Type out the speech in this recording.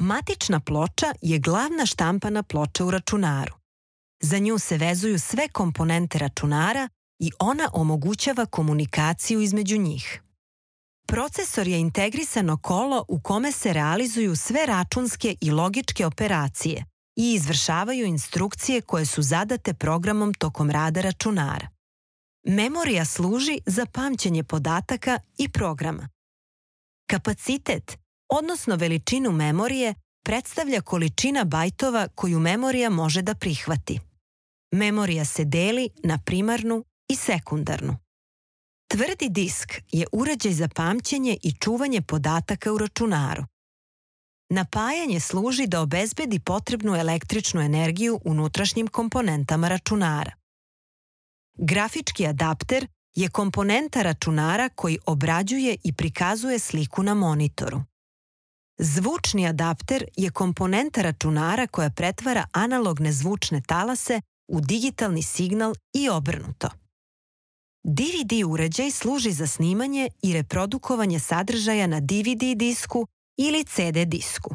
Matična ploča je glavna štampana ploča u računaru. Za nju se vezuju sve komponente računara i ona omogućava komunikaciju između njih. Procesor je integrisano kolo u kome se realizuju sve računske i logičke operacije i izvršavaju instrukcije koje su zadate programom tokom rada računara. Memorija služi za pamćenje podataka i programa. Kapacitet, odnosno veličinu memorije, predstavlja količina bajtova koju memorija može da prihvati. Memorija se deli na primarnu i sekundarnu. Tvrdi disk je uređaj za pamćenje i čuvanje podataka u računaru. Napajanje služi da obezbedi potrebnu električnu energiju unutrašnjim komponentama računara. Grafički adapter je komponenta računara koji obrađuje i prikazuje sliku na monitoru. Zvučni adapter je komponenta računara koja pretvara analogne zvučne talase u digitalni signal i obrnuto. DVD uređaj služi za snimanje i reprodukovanje sadržaja na DVD disku ili CD disku.